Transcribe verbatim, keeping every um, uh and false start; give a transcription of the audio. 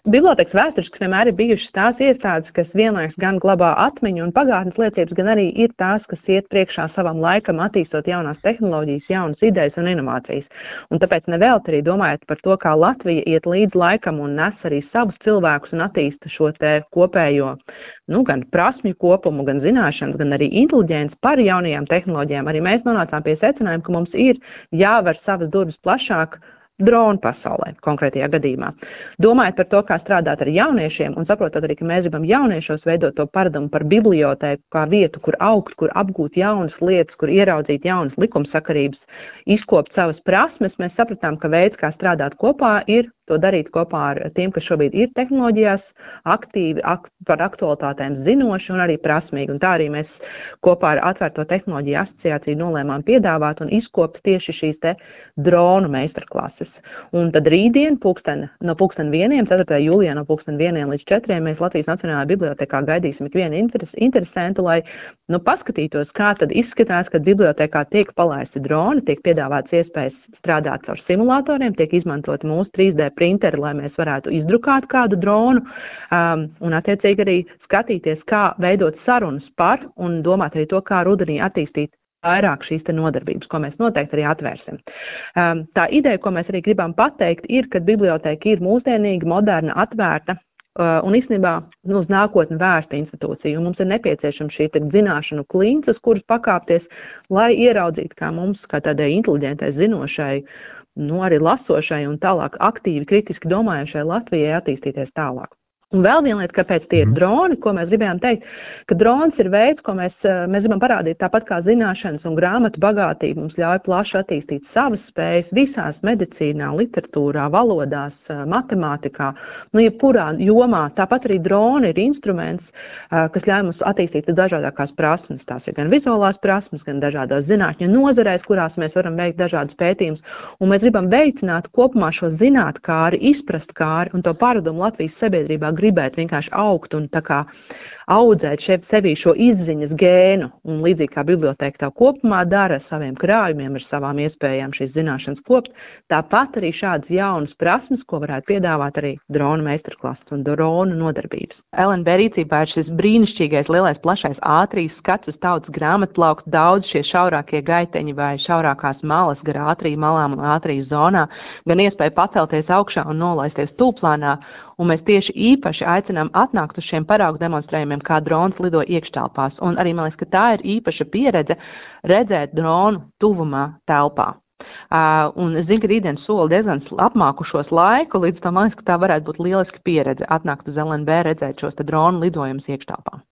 bibliotēkas vēsturiski vienmēr ir bijušas tās iestādes, kas vienlaiks gan glabā atmiņu un pagātnes liecības, gan arī ir tās, kas iet priekšā savam laikam, attīstot jaunās tehnoloģijas, jaunas idejas un inovācijas. Un tāpēc nevēlt arī domājot par to, kā Latvija iet līdz laikam un nes arī savus cilvēkus un attīsta šo te kopējo, nu, gan prasmju kopumu, gan zināšanas, gan arī inteliģents par jaunajām tehnoloģijām. Arī mēs nonācām pie secinājuma, ka mums ir jāver savas durvis plašāk dronu pasaulē, konkrētajā gadījumā. Domājot par to, kā strādāt ar jauniešiem un saprotot arī, ka mēs gribam jauniešos veidot to paradumu par bibliotēku kā vietu, kur augt, kur apgūt jaunas lietas, kur ieraudzīt jaunas likumsakarības, izkopt savas prasmes, mēs sapratām, ka veids, kā strādāt kopā, ir to darīt kopā ar tiem, kas šobrīd ir tehnoloģijās aktīvi, ak par aktualitātēm zinoši un arī prasmīgi. Un tā arī mēs kopā ar Atvērto tehnoloģiju asociāciju nolēmām piedāvāt un izkopt tieši šīs te dronu meistarklases. Un tad rītdien, pulksten, no pulksten vieniem, ceturtajā jūlijā no pulksten vieniem līdz četriem, mēs Latvijas Nacionālajā bibliotēkā gaidīsim ikvienu interes, interesantu, lai nu, paskatītos, kā tad izskatās, kad bibliotēkā tiek palaisti droni, tiek piedāvāts iespējas strādāt ar simulatoriem, tiek izmantot mūsu trīs D printeri, lai mēs varētu izdrukāt kādu dronu um, un attiecīgi arī skatīties, kā veidot sarunas par un domāt arī to, kā rudenī attīstīt vairāk šīs te nodarbības, ko mēs noteikti arī atvērsim. Um, tā ideja, ko mēs arī gribam pateikt, ir, ka bibliotēka ir mūsdienīga, moderna, atvērta uh, un īstenībā nu, uz nākotni vērsta institūcija. Un mums ir nepieciešama šī te zināšanu klints, uz kuras pakāpties, lai ieraudzītu, kā mums, kā tādai inteliģentai, zinošai, nu arī lasošai un tālāk aktīvi, kritiski domājušai Latvijai attīstīties tālāk. Un vēl viena lieta, kāpēc tie ir droni, ko mēs gribējām teikt, ka drons ir veids, ko mēs, mēs gribam parādīt tāpat kā zināšanas un grāmatu bagātība mums ļauj plaši attīstīt savas spējas visās medicīnā, literatūrā, valodās, matemātikā, nu jebkurā jomā. Tāpat arī droni ir instruments, kas ļauj mums attīstīt dažādākās prasmes. Tās ir gan vizuālās prasmes, gan dažādās zinātņu nozarēs, kurās mēs varam veikt dažādas pētījumus. Un mēs gribam veicināt kopumā šo zinātkāri, izprast kāri un to paradumu Latvijas sabiedrībā gribēt vienkārši augt un tā kā audzēt šeit sevī šo izziņas gēnu, un līdzīgi kā bibliotēka tā kopumā dara ar saviem krājumiem, ar savām iespējām šīs zināšanas kopt, tāpat arī šādas jaunas prasmes, ko varētu piedāvāt arī dronu meistarklases un dronu nodarbības. L N B rīcībā ir šis brīnišķīgais lielais plašais ātrijas skats uz tautas grāmatplauktu, daudz šie šaurākie gaiteņi vai šaurākās malas gar ātriju malām un ātrijas zonā, gan iespēja pacelties augšā un nolaisties tūplānā, un mēs tieši īpaši aicinām atnākt uz šiem paraugu demonstrējumiem, kā drons lido iekštelpās. Un arī, man liekas, ka tā ir īpaša pieredze redzēt dronu tuvumā telpā. Uh, un es zinu, ka rītdien soli diezgan apmākušos laiku, līdz tam man liekas, ka tā varētu būt lieliska pieredze atnākt uz L N B redzēt šos te dronu lidojumus iekštelpā.